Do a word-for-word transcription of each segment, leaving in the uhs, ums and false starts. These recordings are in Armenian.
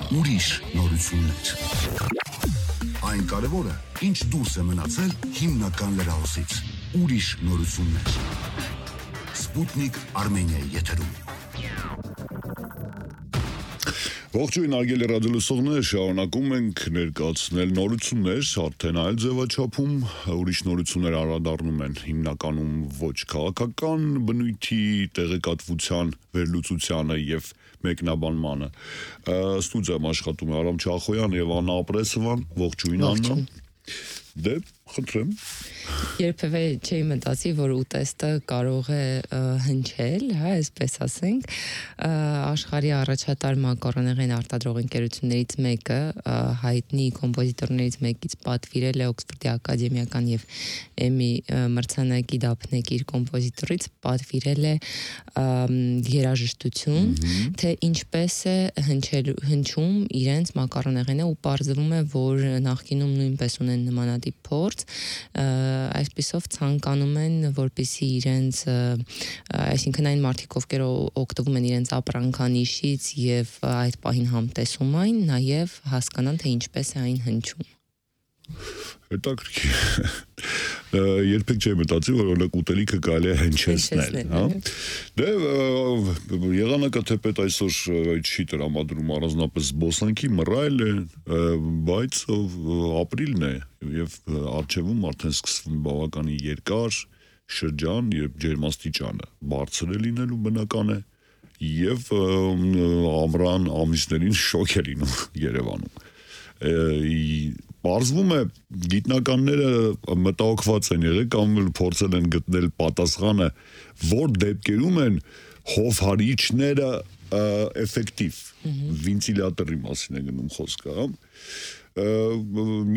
ուրիշ նորություններ։ Այն կարևորը, ինչ դուրս է մնացել հիմնական լրահոսից։ Ուրիշ նորություններ։ Սպուտնիկ Արմենիայի եթերում։ Ողջույն արգելի ռադիոլսողներ, շարունակում ենք ներկայացնել նորություններ, արդեն այլ ձևաչափում, ուրիշ նորություններ անդրադառնում են հիմնականում ոչ քաղաքական բնույթի տեղեկատվության վերլուծությանը եւ մեկնաբանմանը։ Ստուդիայում աշխատում է Արամ Չախոյան եւ Աննա Ապրեսովան, ողջույն Աննա։ Դե, խնդրեմ։ Երբևէ չէի մտածի, որ ուտեստը կարող է հնչել, հա, այսպես ասենք, աշխարհի առաջատար մակարոնեղեն արտադրող ընկերություններից մեկը, հայտնի կոմպոզիտորներից մեկից պատվիրել է Օքսֆորդի ակադեմիական եւ Էմի մրցանակի դափնեկիր կոմպոզիտորից պատվիրել է երաժշտություն, թե ինչպես է հնչել հնչում իրենց մակարոնեղենը, ու պարզվում է, որ նախկինում նույնպես ունեն նմանատիպ փորձ, այսպիսով ցանկանում են, որպեսզի իրենց, այսինքն այն մարդիկ, ովքեր օգտվում են իրենց ապրանքանիշից եւ այդ պահին համտեսում այն, նաեւ հասկանան, թե ինչպես է այն հնչում։ Հետաքրքիր։ Երբեք չէի մտածի, որ օրինակ ուտելիքը կարելի է հնչեցնել, հա։ Դե եղանակը թեպետ այսօր չի տրամադրում առանձնապես զբոսանքի, մռայլ է, բայց ապրիլն է եւ առջևում արդեն սկսվում բավականին երկար շրջան, երբ ջերմաստիճանը բարձր է լինելու բնական է եւ ամռան ամիսներին շոկ է լինում Երևանում։ Պարզվում է, գիտնականները մտահոգված են եղել կամ փորձել են գտնել պատասխանը, որ դեպքերում են հովհարիչները էֆեկտիվ, վենտիլյատորի մասին է գնում խոսքը,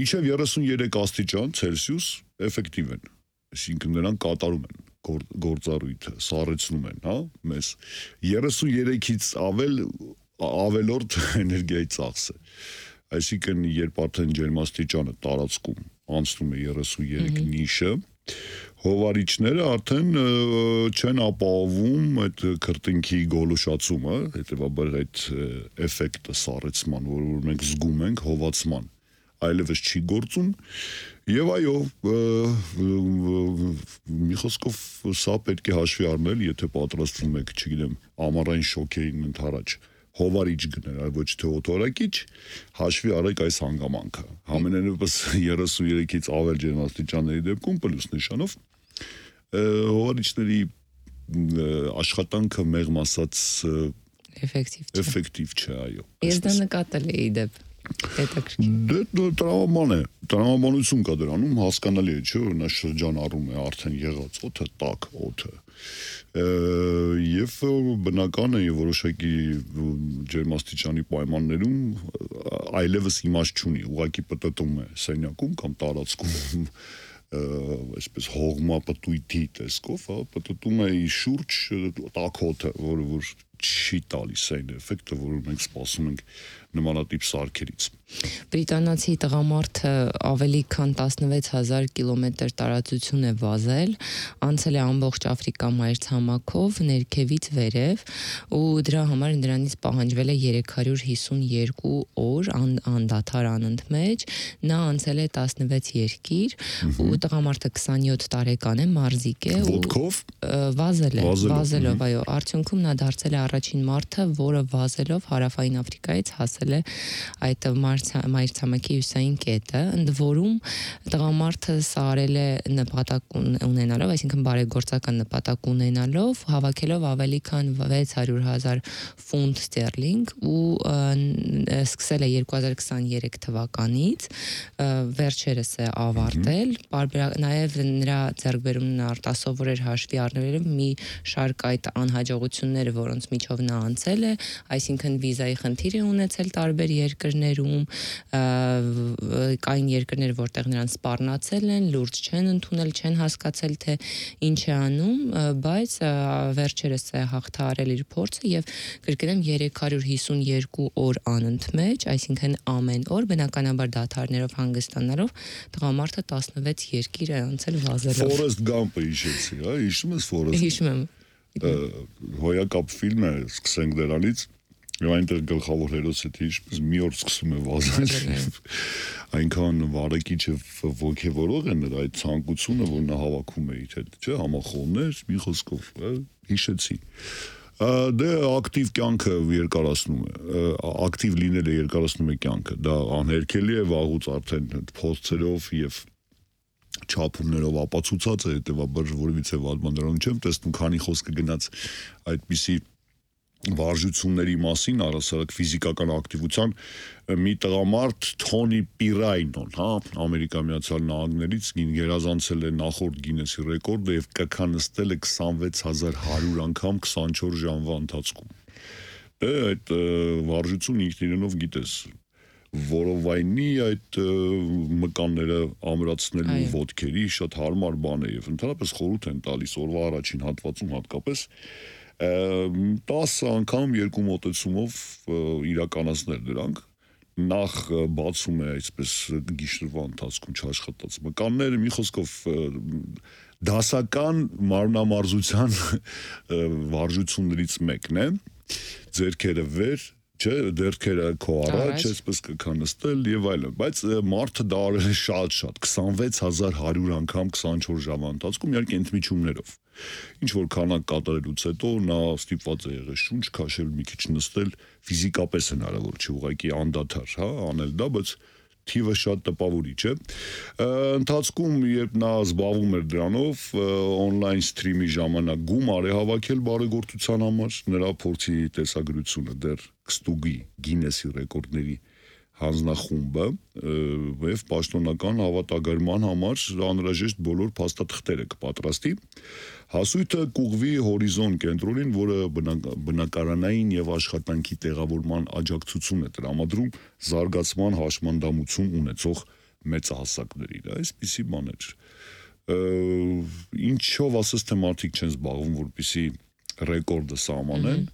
մինչև երեսուններեք աստիճան Ցելսիուս էֆեկտիվ են, այսինքն նրանք կատարում են գործառույթը, սառեցնում են, հա, մեզ երեսուներեքից ավել ավելորդ էներգիայի ծախս է։ Այսինքն, երբ արդեն ջերմաստիճանը տարածքում անցնում է երեսուներեք նիշը, հովարիչները արդեն չեն ապահովում այդ քրտինքի գոլուշացումը, հետևաբար այդ էֆեկտը սառեցման, որ մենք զգում ենք հովացման, այլևս չի գործում, եւ այո, մի խոսքով սա պետք է հաշվի առնել, եթե պատրաստվում եք, չգիտեմ, ամառային շոկերին ընդառաջ հովարիչ գնել, այլ ոչ թե օթորակիչ, հաշվի արեք այս հանգամանքը։ Համենայնիվս երեսուներեքից ավել ջերմաստիճանների դեպքում պլյուս նշանով հովարիչների աշխատանքը մեղմ ասած էֆեկտիվ չէ, այո։ Ես դա նկատել էի դեպ։ Դե տրամաբան է, տրամաբանություն կա դրանում, հասկանալի է, չէ, որ նա շրջան առում է արդեն եղած օդը, տաք օդը։ Եվ բնական է եւ որոշակի ջերմաստիճանի պայմաններում այլևս իմաստ չունի, ուղղակի պտտում է սենյակում կամ տարածքում այսպես հողմապտույտի տեսքով, հա, պտտում է շուրջ տաք օդը, որը որ չի տալիս այն էֆեկտը, որ մենք սպասում ենք նմանատիպ սարքերից։ Բրիտանացի տղամարդը ավելի քան տասնվեց հազար կիլոմետր տարածություն է վազել, անցել է ամբողջ Աֆրիկա մայրցամաքով ներքևից վերև, ու դրա համար նրանից պահանջվել է երեք հարյուր հիսունյոթ օր անդադար անընդմեջ, նա անցել է տասնվեց երկիր, ու տղամարդը քսանյոթ տարեկան է, մարզիկ է, ոտքով վազել է, վազելով, այո, արդյունքում նա դարձել է առաջին մարդը, որը վազելով Հարավային Աֆրիկայից հասել է այդ մայրցամաքի հյուսային կետը, ընդ որում տղամարդը սա արել է նպատակ ունենալով, այսինքն բարեգործական նպատակ ունենալով, հավաքելով ավելի քան վեց հարյուր հազար ֆունտ ստերլինգ, ու սկսել է երկու հազար քսաներեք թվականից, վերջերս է ավարտել, նաև նրա ձեռքբերումն արտասովոր էր հաշվի առնելով մի շարք այդ անհաջողությունները, որոնց միջով նա անցել է, այսինքն վիզայի խնդիր է ունեցել տարբեր երկրներում, կային երկրներ, որտեղ նրան սպառնացել են, լուրջ չեն ընդունել, չեն հասկացել, թե ինչ է անում, բայց վերջերս է հաղթահարել իր փորձը եւ կրկնեմ երեք հարյուր հիսունյոթ օր անընդմեջ, այսինքն ամեն օր բնականաբար դադարներով հանգստանալով տղամարդը տասնվեց երկիր է անցել վազելով։ Forrest Gump-ը հիշեցի, հա, հիշում ես Forrest։ Հիշում եմ։ Հոյակապ ֆիլմ է, սկսենք դրանից, Եվ այնտեղ գլխավոր հերոսը թե ինչպես մի օր սկսում է վազել, այնքան վարակիչ եւ ոգևորող է նրա այդ ցանկությունը, որ նա հավաքում է իր հետ, չէ, համախոհներ, մի խոսքով, հիշեցի։ Դե ակտիվ կյանքը երկարացնում է, ակտիվ լինելը երկարացնում է կյանքը, դա անհերքելի է, վաղուց արդեն փորձերով եւ չափումներով ապացուցած է, հետեւաբար որևիցե վատ բան չեմ տեսնում, քանի խոսքը գնաց այդպիսի վարժությունների մասին, առասարակ ֆիզիկական ակտիվության մի տղամարդ Թոնի Պիրայնոն, հա, Ամերիկա Միացյալ Նահանգներից գերազանցել է նախորդ Գինեսի ռեկորդը եւ կքանստել է քսանվեց հազար հարյուր անգամ քսանչորս ժամվա ընթացքում։ Դե այդ վարժությունը ինքն իրենով գիտես, որովայնի այդ մկանները ամրացնելու ոտքերի շատ հարմար բան է եւ ընդհանրապես խորհուրդ են տալիս օրվա առաջին հատվածում հատկապես տասը անգամ երկու մոտեցումով իրականացնել դրանք, նախ բացում է այսպես գիշերվա ընթացքում չաշխատած մկանները, մի խոսքով դասական մարմնամարզության վարժություններից մեկն է, ձեռքերը վեր, չէ, դերքերը քո առաջ, այսպես կքանստել եւ այլն, բայց մարդը դա արել է շատ-շատ, քսանվեց հազար հարյուր անգամ քսանչորս ժամվա ընթացքում, իհարկե ընդմիջումներով։ Ինչ որ քանակ կատարելուց հետո նա ստիպված է եղել շունչ քաշել, մի քիչ նստել, ֆիզիկապես հնարավոր չէ, ուղղակի անդադար, հա, անել դա, բայց թիվը շատ տպավորիչ է։ Ընթացքում, երբ նա զբաղվում էր դրանով, on-line stream-ի ժամանակ գումար է հավաքել բարեգործության համար, նրա փորձի տեսագրությունը դեռ կստուգի Գինեսի ռեկորդների հանձնախումբը եւ պաշտոնական հավատագրման համար անհրաժեշտ բոլոր փաստաթղթերը կպատրաստի։ Հասույթը կուղվի Հորիզոն կենտրոնին, որը բնակարանային եւ աշխատանքի տեղավորման աջակցություն է տրամադրում զարգացման հաշմանդամություն ունեցող մեծահասակներին։ Այսպիսի բաներ։ Ինչով ասես թե մարդիկ չեն զբաղվում, որպեսզի ռեկորդը սահմանեն,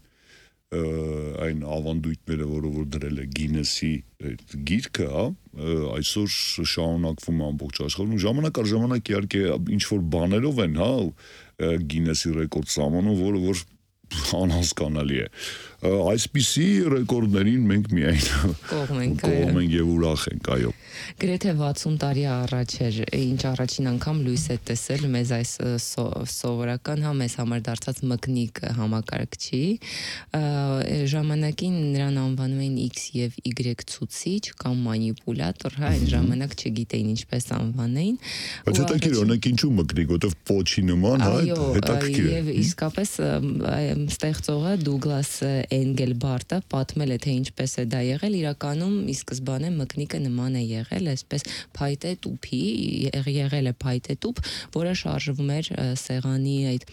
այն ավանդույթները, որը որ դրել է Գինեսի գիրքը, հա, այսօր շարունակվում ամբողջ աշխարհում, ժամանակ առ ժամանակ իհարկե ինչ որ բաներով են, հա, Գինեսի ռեկորդ սահմանում, որը որ անհասկանալի է։ Այսպիսի ռեկորդներին մենք միայն կողմ ենք, կողմ ենք եւ ուրախ ենք, այո։ Գրեթե վաթսուն տարի առաջ էր, ինչ առաջին անգամ լույս է տեսել մեզ այս սովորական, հա, մեզ համար դարձած մկնիկ համակարգչի, ժամանակին նրան անվանում էին X եւ Y ցուցիչ կամ մանիպուլատոր, հա, այն ժամանակ չգիտեին ինչպես անվանեին։ Բայց հետաքրքիր, օրինակ ինչու մկնիկ, որտեվ պոչի նման, հա, հետաքրքիր է։ Եվ իսկապես ստեղծողը Դուգլաս Էնգելբարտը պատմել է, թե ինչպես է դա եղել, իրականում ի սկզբանե մկնիկը նման է եղել, այսպես փայտե տուփի, եղել է փայտե տուփ, որը շարժվում էր սեղանի այդ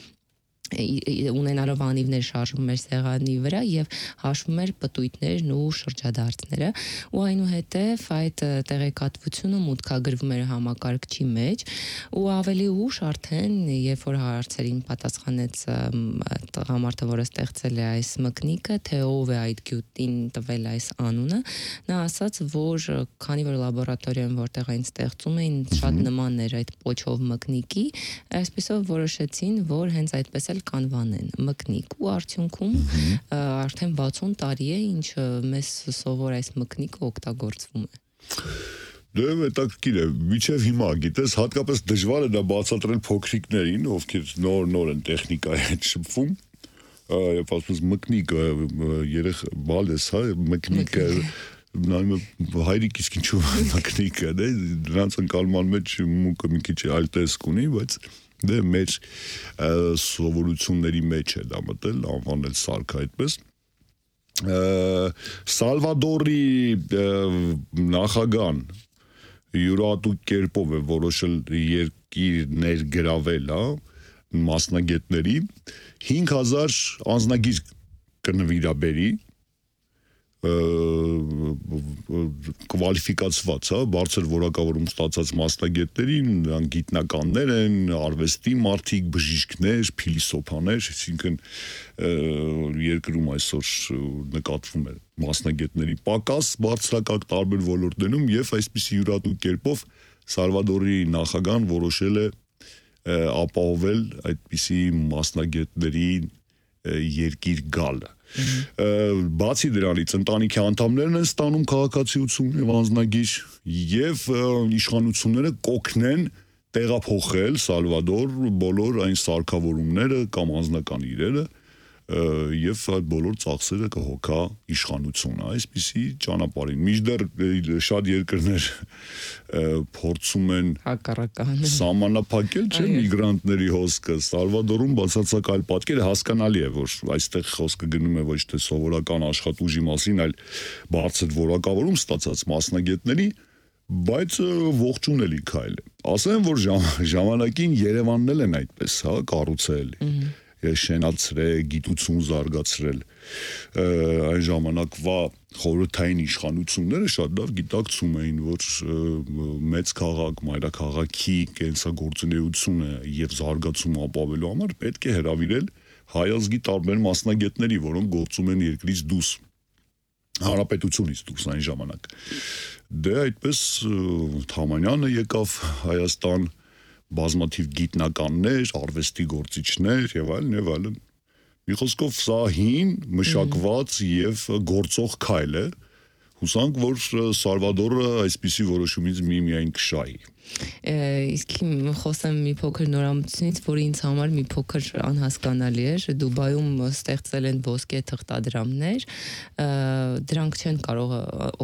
ունենալով անիվներ շարժվում էր սեղանի վրա եւ հաշվում էր պտույտներն ու շրջադարձները ու այնուհետեւ այդ տեղեկատվությունը մուտքագրվում էր համակարգչի մեջ ու ավելի ուշ արդեն երբ որ հարցերին պատասխանեց տղամարդը, որը ստեղծել է այս մկնիկը, թե ով է այդ գյուտին տվել այս անունը, նա ասաց, որ քանի որ լաբորատորիայում որտեղ այն ստեղծում էին շատ նման էր այդ պոչով մկնիկի, այսպեսով որոշեցին, որ հենց այդպես կանվանեն մկնիկ ու արդյունքում արդեն վաթսուն տարի է, ինչ մեզ սովոր այս մկնիկը օգտագործվում է։ Դե հետաքրքիր է, միջև հիմա գիտես, հատկապես դժվար է դա բացատրել փոքրիկներին, ովքեր նոր-նոր են տեխնիկայի հետ շփվում, եւ ասես մկնիկը երեխ բալես, հա, մկնիկը հայրիկ իսկ ինչու մկնիկը, դե նրանց ընկալման մեջ մուկը մի քիչ այլ տեսք ունի, բայց դե մեր սովորությունների մեջ է դա մտել, անվանել սարքը այդպես։ Սալվադորի նախագահան յուրահատուկ կերպով է որոշել երկիրներ գրավել, հա, մասնագետների, հինգ հազար անձնագիր կնվիրաբերի, կվալիֆիկացված, հա, բարձր որակավորում ստացած մասնագետներին, նրանք գիտնականներ են, արվեստի մարդիկ, բժիշկներ, փիլիսոփաներ, այսինքն երկրում այսօր նկատվում է մասնագետների պակաս բարձրակարգ տարբեր ոլորտներում եւ այսպիսի յուրահատուկ կերպով Սալվադորի նախագահան որոշել է ապահովել այդպիսի մասնագետների երկիր գալը։ Բացի դրանից ընտանիքի անդամներն են ստանում քաղաքացիություն եւ անձնագիր եւ իշխանությունները կօգնեն տեղափոխել Սալվադոր բոլոր այն սարքավորումները կամ անձնական իրերը եւ այդ բոլոր ծախսերը կհոգա իշխանությունը այսպիսի ճանապարհին մինչդեռ շատ երկրներ փորձում են հակառական սահմանափակել չէ միգրանտների հոսքը Սալվադորում բացարձակ այլ պատկեր հասկանալի է որ այստեղ խոսքը գնում է ոչ թե սովորական աշխատուժի մասին այլ բարձր որակավորում ստացած մասնագետների բայց ողջունելի քայլ է ասեմ որ ժամանակին Երևանն էլ են այդպես հա կառուցել շենացրել, գիտություն զարգացրել այն ժամանակվա խորհրդային իշխանությունները շատ լավ գիտակցում էին, որ մեծ քաղաք, մայրաքաղաքի կենսագործունեությունը եւ զարգացումը ապավելու համար պետք է հրավիրել հայազգի տարբեր մասնագետների, որոնք գործում են երկրից դուրս, հանրապետությունից դուրս այն ժամանակ։ Դե այդպես Թամանյանը եկավ Հայաստան բազմաթիվ գիտնականներ, արվեստի գործիչներ եւ այլն եւ այլն։ Մի խոսքով սա հին, մշակված եւ գործող քայլ է։ Հուսանք, որ Սալվադորը այսպիսի որոշումից միմիայն կշահի։ Իսկ խոսեմ մի փոքր նորամուծությունից, որը ինձ համար մի փոքր անհասկանալի էր։ Դուբայում ստեղծել են ոսկե թղթադրամներ, դրանք չեն կարող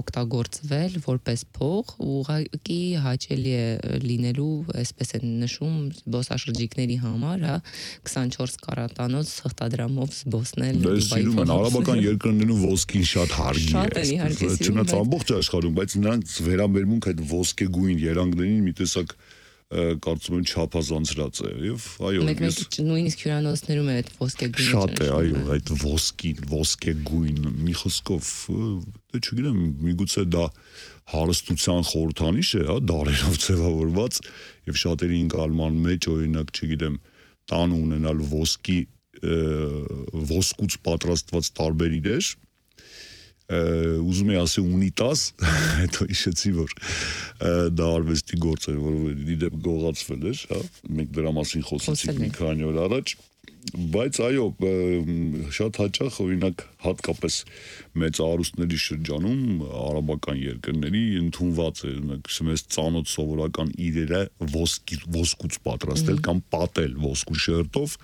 օգտագործվել որպես փող, ուղղակի հաճելի է լինելու, այսպես են նշում, զբոսաշրջիկների համար, հա, քսանչորս կարատանոց թղթադրամով զբոսնել Դուբայի։ Արաբական երկրներում ոսկին շատ հարգի է։ Չնայած ամբողջ աշխարհում, բայց նրանց վերաբերմունք այդ ոսկեգույն երանգներին մի տեսակ կարծում եմ չափազանցրած է եւ այո մեկ-մեկ նույնիսկ հյուրանոցներում է այդ ոսկեգույնը շատ է այո այդ ոսկին ոսկեգույն մի խոսքով դե չգիտեմ միգուցե դա հարստության խորհրդանիշ է հա դարերով ձևավորված եւ շատերի ընկալման մեջ օրինակ չգիտեմ տան ունենալ ոսկի ոսկուց պատրաստված տարբեր իրեր ուզում եմ ասել ունիտազ, հետո հիշեցի, որ դա արվեստի գործ էր, որ իդեպ գողացվել էր, հա, մենք դրա մասին խոսեցինք մի քանի օր առաջ, բայց այո, շատ հաճախ օրինակ հատկապես մեծ արուստների շրջանում արաբական երկրների ընդունված է, մեզ ծանոթ սովորական իրերը ոսկուց պատրաստել կամ պատել ոսկու շերտով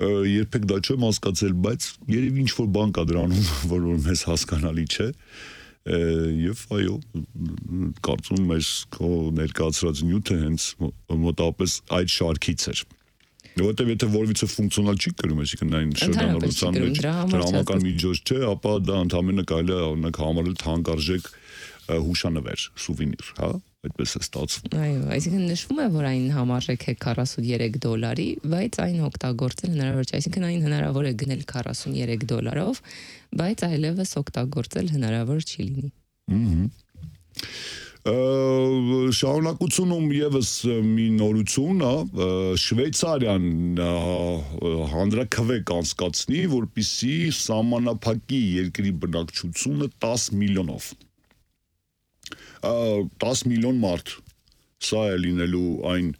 երբեք դա չեմ հասկացել, բայց երևի ինչ-որ բան կա դրանում, որ մեզ հասկանալի չէ, եւ այո, կարծում մեր քո ներկայացրած նյութը հենց մոտավորապես այդ շարքից էր։ Որտեւ եթե որևիցե ֆունկցիոնալ չի կրում, այսինքն այն շրջանառության մեջ դրամական միջոց չէ, ապա դա ընդհանրապես կարելի է օրինակ համարել թանկարժեք հուշանվեր, սուվենիր, հա, այդպես է ստացվում։ Այո, այսինքն նշվում է, որ այն համարժեք է քառասունյերեք դոլարի, բայց այն օգտագործել հնարավոր չէ, այսինքն այն հնարավոր է գնել քառասունյերեք դոլարով, բայց այլևս օգտագործել հնարավոր չի լինի։ Ահա շարունակությունում եւս մի նորություն է, Շվեյցարիան հանրաքվե կանցկացնի, որպեսզի սահմանափակի երկրի բնակչությունը տասը միլիոնով։ տասը միլիոն մարդ, սա է լինելու այն,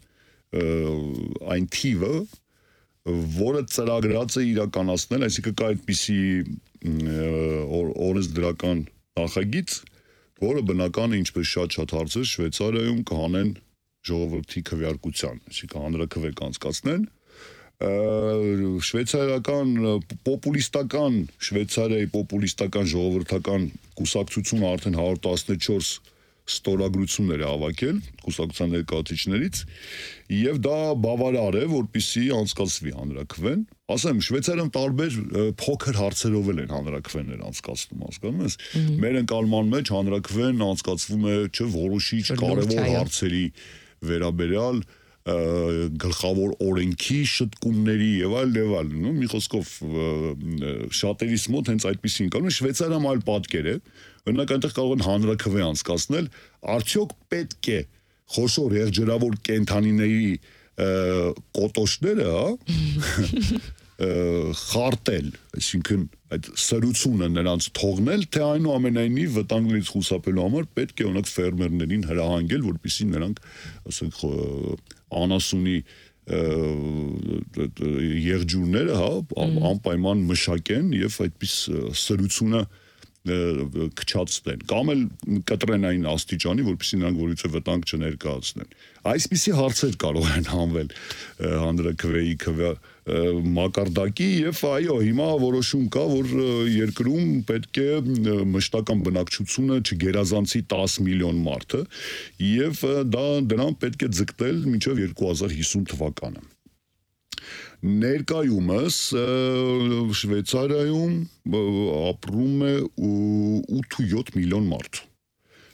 այն թիվը, որը ծրագրած է իրականացնել, այսինքն կա այդպիսի օրենսդրական նախագիծ, որը բնական է ինչպես շատ-շատ հարցեր Շվեյցարիայում կհանեն ժողովրդի քվեարկության, այսինքն հանրաքվե կանցկացնեն, շվեյցարիական պոպուլիստական Շվեյցարիայի պոպուլիստական ժողովրդական կուսակցությունը արդեն հարյուր տասնչորս ստորագրություններ է հավաքել կուսակցության ներկայացուցիչներից եւ դա բավարար է որպեսզի անցկացվի հանրաքվեն ասեմ Շվեյցարիայում տարբեր փոքր հարցերով են հանրաքվեներ անցկացնում հասկանում ես մեր ընկալման մեջ հանրաքվեն անցկացվում է չէ որոշիչ կարևոր հարցերի վերաբերյալ գլխավոր օրենքի շտկումների եւ այլ եւ այլ նո մի խոսքով շատերիս մոտ հենց այդպեսին կան Շվեյցարիայում այլ պատկեր է օրինակ այնտեղ կարող են հանրաքվե անցկացնել արդյոք պետք է խոշոր եղջերավոր կենթանիների կոտոշները խարտել այսինքն այդ սրությունը նրանց թողնել թե այնուամենայնիվ վտանգներից խուսափելու համար պետք է օրինակ ֆերմերներին հրահանգել որպեսզի նրանք ասենք անասունի եղջյուրները, հա, անպայման մշակեն եւ այդպես սրությունը քչացնեն կամ էլ կտրեն այն աստիճանի, որպեսզի նրանք որից վտանգ չներկայացնեն։ Այսպիսի հարցեր կարող են հանվել հանրաքվեի մակարդակի եւ այո, հիմա որոշում կա, որ երկրում պետք է մշտական բնակչությունը չգերազանցի տասը միլիոն մարդը եւ դա դրան պետք է ձգտել մինչեւ երկու հազար հիսուն թվականը։ Ներկայումս Շվեյցարիայում ապրում է ութ միլիոն մարդ։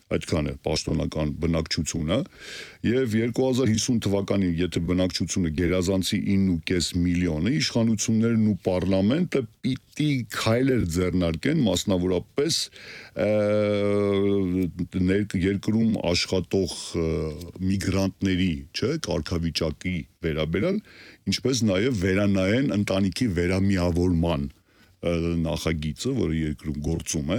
Այդքան է պաշտոնական բնակչությունը եւ երկու հազար հիսուն թվականին եթե բնակչությունը գերազանցի ինը ու կես միլիոնը իշխանություններն ու պարլամենտը պիտի քայլեր ձեռնարկեն մասնավորապես երկրում աշխատող միգրանտների, չէ, կարգավիճակի վերաբերյալ, ինչպես նաեւ վերանայեն ընտանիքի վերամիավորման նախագիծը, որը երկրում գործում է,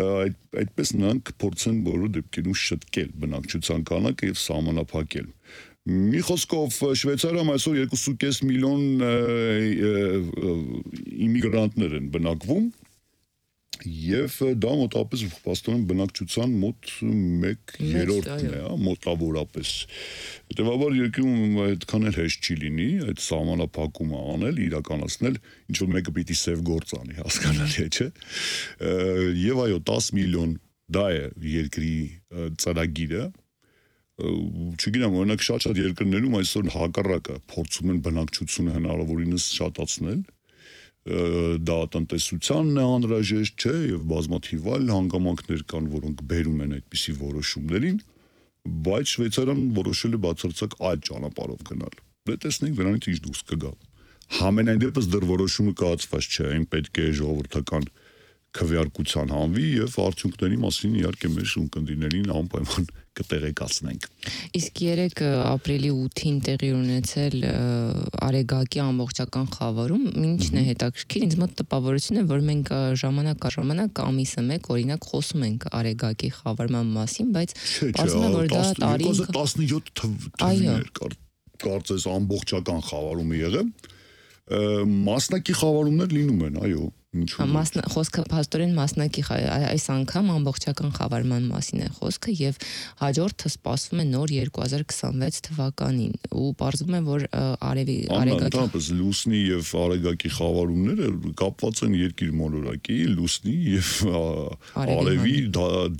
այդ, այդպես նրանք փորձեն բոլոր դեպքերում շտկել բնակչության քանակը եւ սահմանափակել։ Մի խոսքով Շվեյցարիայում այսօր երկու ու կես միլիոն իմիգրանտներ են բնակվում եւ դա մոտավորապես փաստորեն բնակչության մոտ մեկ երրորդն է, մոտավորապես։ Հետևաբար երկրում այդքան էլ հեշտ չի լինի այդ սահմանափակումը անել, իրականացնել, ինչ որ մեկը պիտի սև գործ անի, հասկանալի է, չէ։ Եվ այո, տասը միլիոն դա է երկրի ծրագիրը։ Չգիտեմ, օրինակ շատ-շատ երկրներում այսօր հակառակը փորձում են բնակչությունը հնարավորինս շատացնել դա տնտեսությանն է անհրաժեշտ, չէ, եւ բազմաթիվ այլ հանգամանքներ կան, որոնք բերում են այդպիսի որոշումներին, բայց Շվեյցարիան որոշել է բացարձակ այլ ճանապարհով գնալ։ Դե տեսնենք դրանից ինչ դուրս կգա։ Համենայն դեպս դեռ որոշումը կայացված չէ, այն պետք է ժողովրդական քվեարկության հանվի եւ արդյունքների մասին իհարկե մեր ունկնդիրներին անպայման կտեղեկացնենք։ Իսկ երեք ապրիլի ութին տեղի ունեցել Արեգակի ամբողջական խավարում ինչն է հետաքրքիր, ինձ մոտ տպավորություն է, որ մենք ժամանակ առ ժամանակ ամիսը մեկ օրինակ խոսում ենք Արեգակի խավարման մասին, բայց ասում են, որ դա տարին երկու հազար տասնյոթ թվականներ կարծես ամբողջական խավարումը եղել, մասնակի խավարումներ լինում են, այո։ Մասն խոսքը փաստորեն մասնակի այս անգամ ամբողջական խավարման մասին է խոսքը եւ հաջորդը սպասվում է նոր երկու հազար քսանվեց թվականին ու պարզվում է որ արևի արեգակի Անտանպես լուսնի եւ արեգակի խավարումները կապված են երկիր մոլորակի լուսնի եւ արևի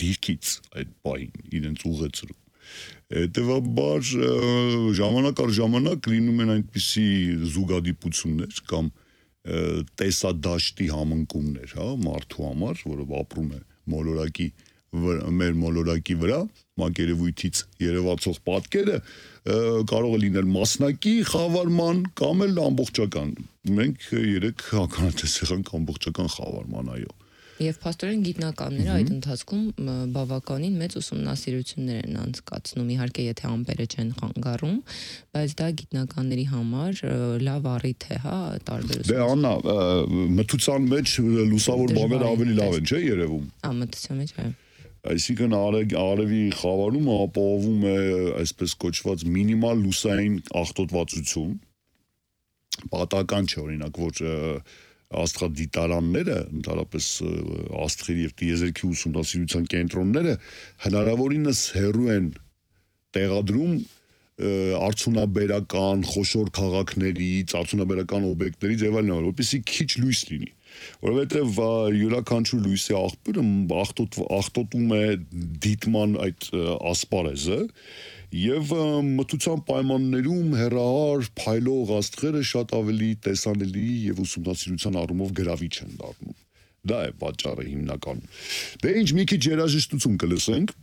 դիրքից այդ բային իրենց ուղեցրու հետեւաբար ժամանակ առ ժամանակ լինում են այնպիսի զուգադիպություններ կամ տեսադաշտի համընկումներ, հա, մարդու համար, որը ապրում է մոլորակի մեր մոլորակի վրա, մակերևույթից երևացող պատկերը կարող է լինել մասնակի խավարման կամ էլ ամբողջական։ Մենք երեք ականատես եղանք ամբողջական խավարման, այո։ Եվ փաստորեն գիտնականները այդ ընթացքում բավականին մեծ ուսումնասիրություններ են անցկացնում, իհարկե եթե ամպերը չեն խանգարում, բայց դա գիտնականների համար լավ առիթ է, հա, տարբեր ուսումնասիրություններ։ Դե Աննա, մթության մեջ լուսավոր բաները ավելի լավ են, չէ՞ երևում։ Ա, մթության մեջ, այո։ Այսինքն արևի խավարումը ապահովում է այսպես կոչված մինիմալ լուսային աղտոտվածություն։ Պատահական չէ, օրինակ, որ աստղադիտարանները, ընդհանրապես աստղերի եւ տիեզերքի ուսումնասիրության կենտրոնները հնարավորինս հեռու են տեղադրում արդյունաբերական խոշոր քաղաքներից, արդյունաբերական օբյեկտներից եւ այլն, որպեսզի քիչ լույս լինի, որովհետեւ յուրաքանչյուր լույսի աղբյուրը աղտոտում է դիտման այդ ասպարեզը եւ մթության պայմաններում հեռահար փայլող աստղերը շատ ավելի տեսանելի եւ ուսումնասիրության առումով գրավիչ են դառնում։ Դա է պատճառը հիմնականում։ Դե ինչ մի քիչ երաժշտություն կլսենք,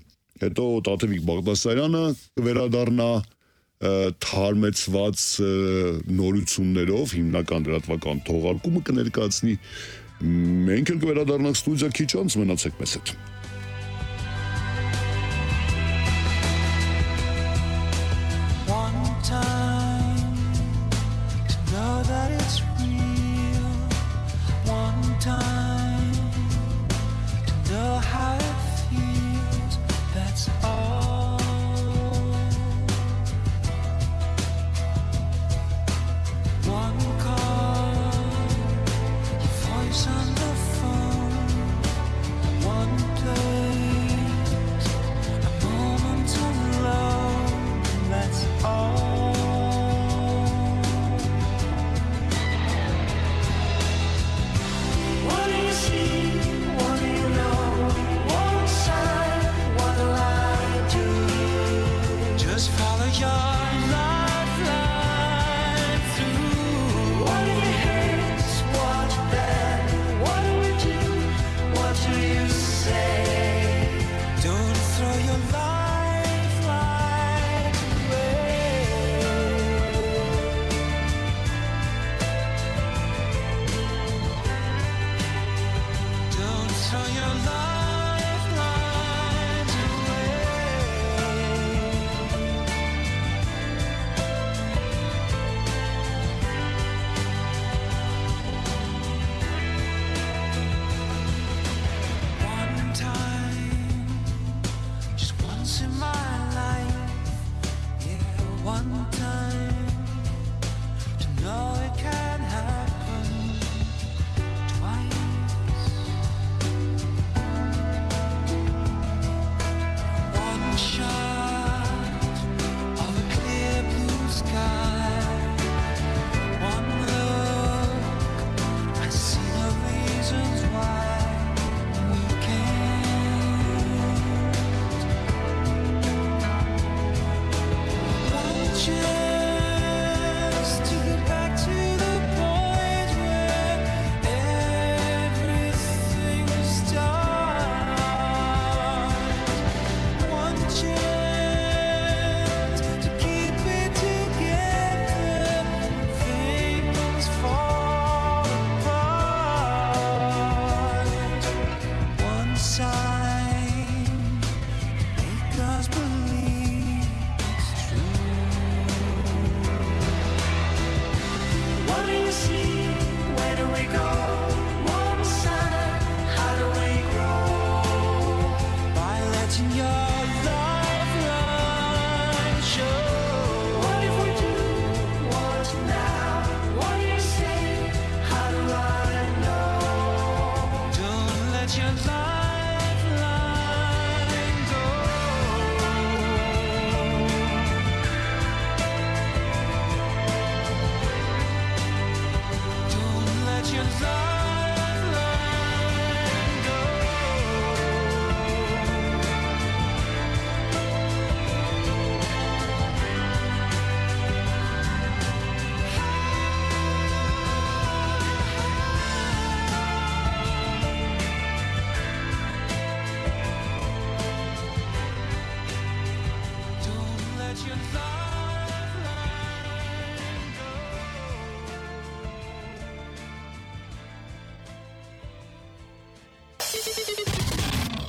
հետո Տաթևիկ Բաղդասարյանը կվերադառնա թարմեցված նորություններով հիմնական լրատվական թողարկումը կներկայացնի։ Մենք էլ կվերադառնանք ստուդիա քիչ անց, մնացեք մեզ հետ։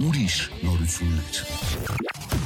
Ուրիշ նորություններ։